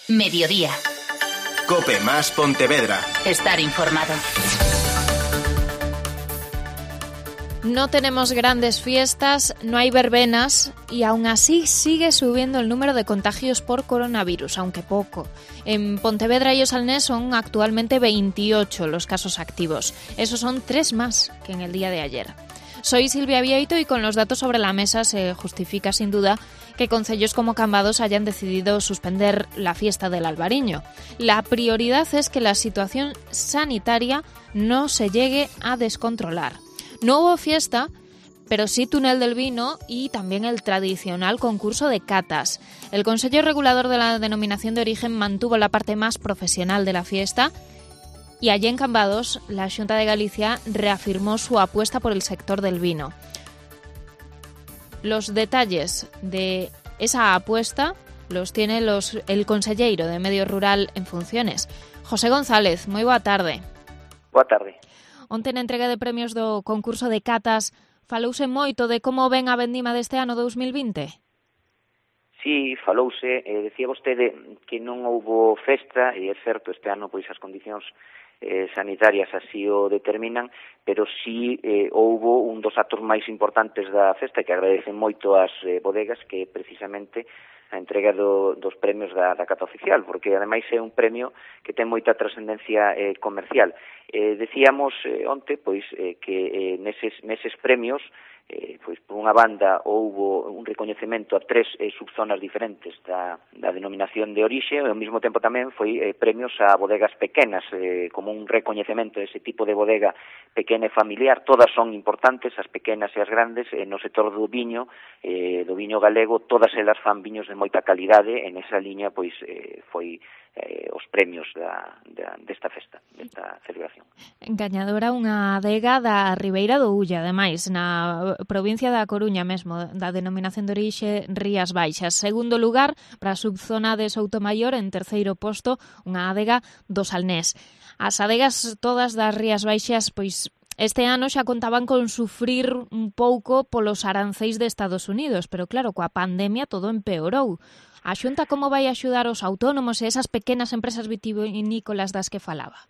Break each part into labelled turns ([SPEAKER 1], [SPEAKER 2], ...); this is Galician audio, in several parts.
[SPEAKER 1] Mediodía.
[SPEAKER 2] COPE más Pontevedra.
[SPEAKER 1] Estar informado.
[SPEAKER 3] No tenemos grandes fiestas, no hay verbenas y aún así sigue subiendo el número de contagios por coronavirus, aunque poco. En Pontevedra y Osalnés son actualmente 28 los casos activos. Esos son 3 más que en el día de ayer. Soy Silvia Vieito y con los datos sobre la mesa se justifica sin duda que concellos como Cambados hayan decidido suspender la fiesta del Albariño. La prioridad es que la situación sanitaria no se llegue a descontrolar. No hubo fiesta, pero sí túnel del vino y también el tradicional concurso de catas. El Consejo Regulador de la Denominación de Origen mantuvo la parte más profesional de la fiesta y allí en Cambados la Xunta de Galicia reafirmó su apuesta por el sector del vino. Los detalles de esa apuesta los tiene el conselleiro de Medio Rural en funciones, José González. Moi boa tarde.
[SPEAKER 4] Boa tarde.
[SPEAKER 3] Onte na entrega de premios do concurso de catas falouse moito de como ven a vendima deste ano 2020?
[SPEAKER 4] Sí, falouse. Decía vostede que non houbo festa, e é certo, este ano pois as condicións sanitarias así o determinan, pero sí houbo un dos actos máis importantes da festa que agradecen moito as bodegas, que precisamente a entrega dos premios da cata oficial, porque ademais é un premio que ten moita trascendencia comercial. Decíamos onte pois que neses premios pois por unha banda houbo un recoñecemento a 3 subzonas diferentes da denominación de orixe, e ao mesmo tempo tamén foi premios a bodegas pequenas, como un recoñecemento de ese tipo de bodega pequena e familiar. Todas son importantes, as pequenas e as grandes, no sector do viño galego, todas elas fan viños de moita calidade. En esa liña pois foi os premios desta festa, desta celebración.
[SPEAKER 3] Gañadora unha adega da Ribeira do Ulla, ademais, na provincia da Coruña mesmo, da denominación de orixe Rías Baixas. Segundo lugar, para a subzona de Soutomaior, en terceiro posto, unha adega do Salnés. As adegas todas das Rías Baixas, pois, este ano xa contaban con sufrir un pouco polos aranceis de Estados Unidos, pero claro, coa pandemia todo empeorou. A Xunta como vai axudar os autónomos e esas pequenas empresas vitivinícolas das que falaba?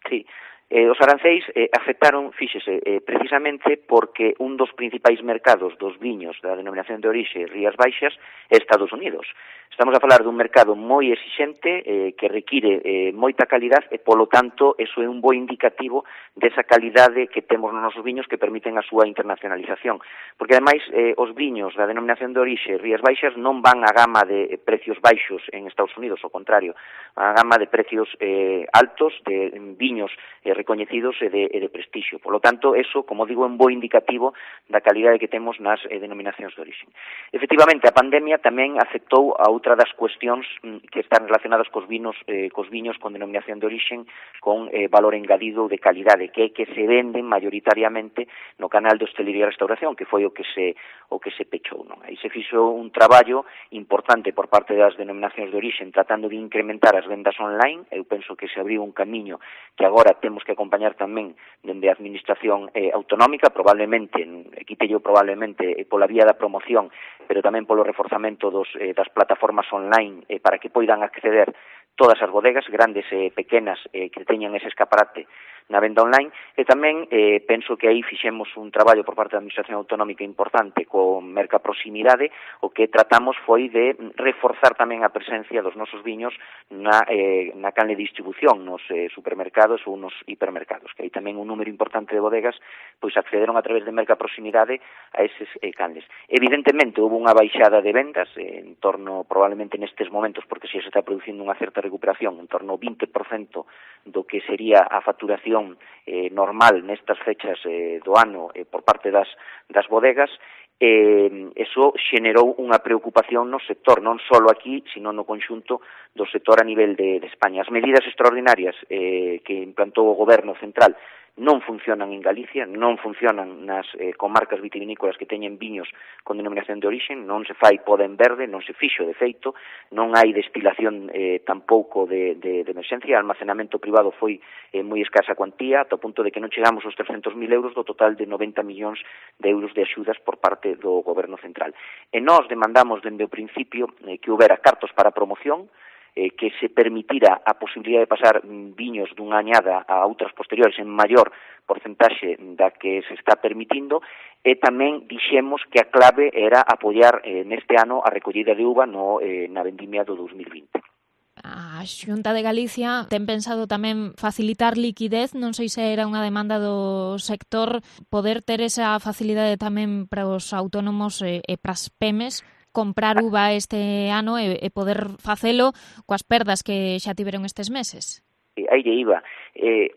[SPEAKER 4] Sí, os aranceis afectaron, fíxese, precisamente porque un dos principais mercados dos viños da denominación de orixe Rías Baixas é Estados Unidos. Estamos a falar dun mercado moi exixente, que require moita calidade e, polo tanto, eso é un bo indicativo desa calidade que temos nos nosos viños que permiten a súa internacionalización. Porque, ademais, os viños da denominación de orixe Rías Baixas non van a gama de precios baixos en Estados Unidos, ao contrario, a gama de precios altos, de viños recoñecidos e de prestixio. Por lo tanto, eso, como digo, é un bo indicativo da calidade que temos nas denominacións de orixe. Efectivamente, a pandemia tamén afectou a outra das cuestións que están relacionadas cos viños con denominación de orixe con valor engadido de calidade, que é que se venden mayoritariamente no canal de hostelería e restauración, que foi o que se pechou, non? Aí se fixo un traballo importante por parte das denominacións de orixe tratando de incrementar as vendas online. Eu penso que se abriu un camiño que agora temos que acompañar tamén dende a administración autonómica, probablemente pola vía da promoción, pero tamén polo reforzamento das plataformas online para que poidan acceder todas as bodegas, grandes e pequenas, que teñan ese escaparate na venda online. E tamén penso que aí fixemos un traballo por parte da Administración Autonómica importante con Merca Proximidade. O que tratamos foi de reforzar tamén a presencia dos nosos viños na canle de distribución, nos supermercados ou nos hipermercados, que aí tamén un número importante de bodegas pois accederon a través de Merca Proximidade a eses canles. Evidentemente, houve unha baixada de vendas en torno, probablemente nestes momentos, porque se está producindo unha certa recuperación, en torno ao 20% do que sería a facturación normal nestas fechas do ano por parte das bodegas. Eso xenerou unha preocupación no sector, non só aquí, sino no conxunto do sector a nivel de España. As medidas extraordinarias que implantou o Goberno central non funcionan en Galicia, non funcionan nas comarcas vitivinícolas que teñen viños con denominación de orixe, non se fai poda en verde, non se fixo de feito, non hai destilación tampouco de emerxencia, almacenamento privado foi moi escasa cuantía, ata o punto de que non chegamos aos 300.000 euros do total de 90 millóns de euros de axudas por parte do Goberno central. E nós demandamos dende o principio que houbera cartos para promoción, que se permitira a posibilidade de pasar viños dunha añada a outras posteriores en maior porcentaxe da que se está permitindo, e tamén dixemos que a clave era apoiar neste ano a recollida de uva na vendimia do 2020.
[SPEAKER 3] A Xunta de Galicia ten pensado tamén facilitar liquidez, non sei se era unha demanda do sector poder ter esa facilidade tamén para os autónomos e para as PEMES comprar uva este ano e poder facelo coas perdas que xa tiveron estes meses.
[SPEAKER 4] Aí lle iba.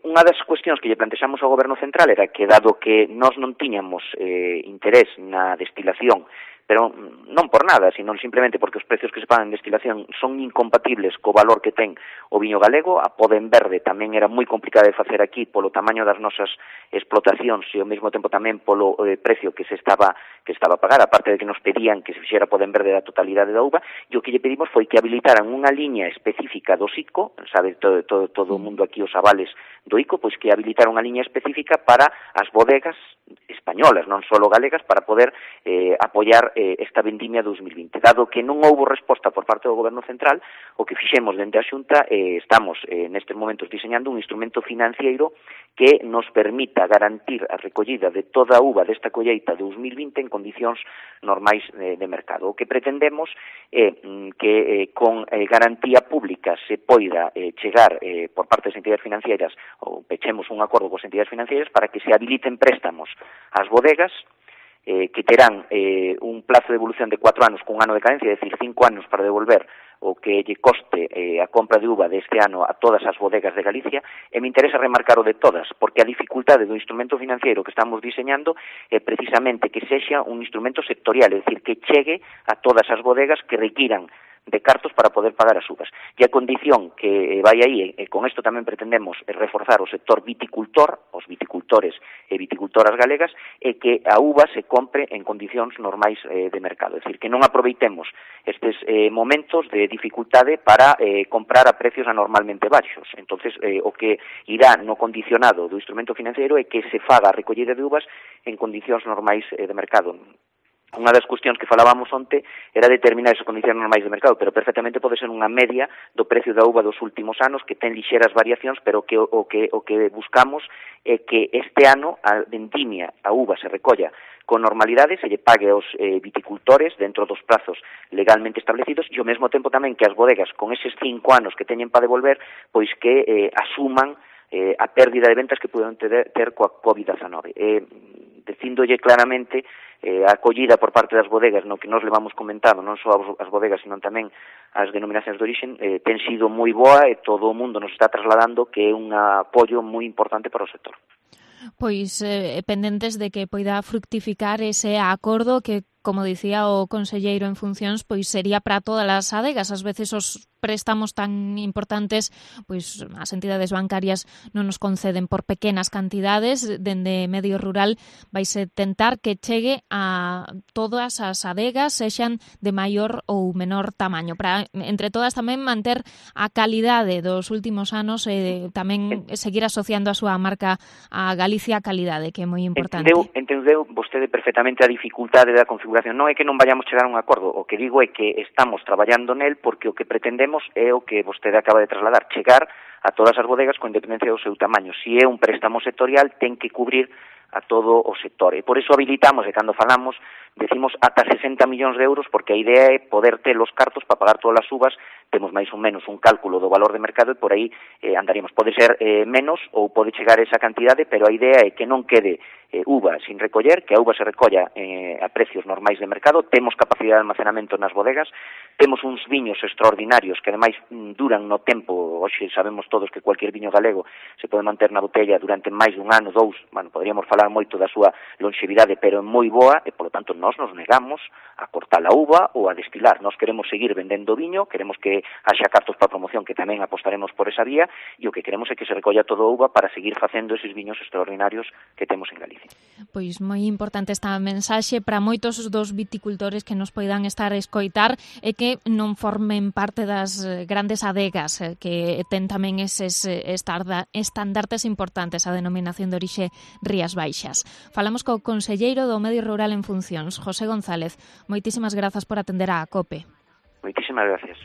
[SPEAKER 4] Unha das cuestións que lle plantexamos ao Goberno Central era que, dado que nós non tiñamos interés na destilación, pero non por nada, sino simplemente porque os precios que se pagan en destilación son incompatibles co valor que ten o viño galego. A poda en verde tamén era moi complicada de facer aquí polo tamaño das nosas explotacións e ao mesmo tempo tamén polo precio que se estaba a pagar, aparte de que nos pedían que se fixera poda en verde da totalidade da uva, e o que lle pedimos foi que habilitaran unha liña específica do ICO, sabe todo o mundo aquí os avales do ICO, pois que habilitaran unha liña específica para as bodegas españolas, non só galegas, para poder apoiar esta vendimia 2020. Dado que non houbo resposta por parte do Goberno Central, o que fixemos dende a Xunta, estamos nestes momentos diseñando un instrumento financiero que nos permita garantir a recollida de toda a uva desta colleita 2020 en condicións normais de mercado. O que pretendemos é que con garantía pública se poida chegar por parte das entidades financieras, ou pechemos un acordo coas entidades financieras para que se habiliten préstamos ás bodegas, que terán un plazo de evolución de 4 anos con un ano de cadencia, é dicir, 5 anos para devolver o que lle coste a compra de uva deste ano a todas as bodegas de Galicia, e me interesa remarcar o de todas, porque a dificultade do instrumento financiero que estamos diseñando é precisamente que sexa un instrumento sectorial, é dicir, que chegue a todas as bodegas que requiran de cartos para poder pagar as uvas. E a condición que vai aí, e con isto tamén pretendemos reforzar o sector viticultor, os viticultores e viticultoras galegas, é que a uva se compre en condicións normais de mercado. É dicir, que non aproveitemos estes momentos de dificultade para comprar a precios anormalmente baixos. Entonces, o que irá no condicionado do instrumento financiero é que se faga a recollida de uvas en condicións normais de mercado. Unha das cuestións que falábamos onte era determinar esas condicións normais de mercado, pero perfectamente pode ser unha media do precio da uva dos últimos anos, que ten lixeras variacións, pero o que buscamos é que este ano a vendimia, a uva se recolla con normalidade, se lle pague aos viticultores dentro dos prazos legalmente establecidos, e ao mesmo tempo tamén que as bodegas, con eses 5 anos que teñen para devolver, pois que asuman a pérdida de ventas que poden ter coa COVID-19. Dicíndolle claramente a acollida por parte das bodegas no que nos levamos comentando, non só as bodegas, sino tamén as denominacións de origen, ten sido moi boa e todo o mundo nos está trasladando que é un apoio moi importante para o sector.
[SPEAKER 3] Pois pendentes de que poida fructificar ese acordo que, como dicía o conselleiro en funcións, pois sería para todas as adegas. Ás veces os préstamos tan importantes, pois as entidades bancarias non nos conceden por pequenas cantidades. Dende medio rural vaise tentar que chegue a todas as adegas, sexan de maior ou menor tamaño, para entre todas tamén manter a calidade dos últimos anos e tamén seguir asociando a súa marca a Galicia a calidade, que é moi importante.
[SPEAKER 4] Entendeu vostede perfectamente a dificultade da configuración. Non é que non vayamos chegar a un acordo, o que digo é que estamos traballando nel porque o que pretendemos é o que vostede acaba de trasladar, chegar a todas as bodegas con independencia do seu tamaño. Si é un préstamo sectorial, ten que cubrir a todo o sector. E por iso habilitamos, e cando falamos, decimos ata 60 millóns de euros, porque a idea é poder ter os cartos para pagar todas as uvas. Temos máis ou menos un cálculo do valor de mercado e por aí andaríamos. Pode ser menos ou pode chegar esa cantidade, pero a idea é que non quede uva sin recoller, que a uva se recolla a precios normais de mercado. Temos capacidade de almacenamento nas bodegas, temos uns viños extraordinarios que ademais duran no tempo. Hoxe sabemos todos que cualquier viño galego se pode manter na botella durante máis dun ano, 2, poderíamos falar moito da súa longevidade, pero é moi boa e, polo tanto, nós nos negamos a cortar a uva ou a destilar. Nós queremos seguir vendendo viño, queremos que haxa cartos para promoción, que tamén apostaremos por esa vía, e o que queremos é que se recolla todo a uva para seguir facendo eses viños extraordinarios que temos en Galicia.
[SPEAKER 3] Pois moi importante esta mensaxe para moitos dos viticultores que nos poidan estar a escoitar e que non formen parte das grandes adegas que ten tamén eses estandartes importantes, a denominación de orixe Rías Baixas. Falamos co conselleiro do Medio Rural en Funcións, José González. Moitísimas grazas por atender á COPE.
[SPEAKER 4] Moitísimas gracias.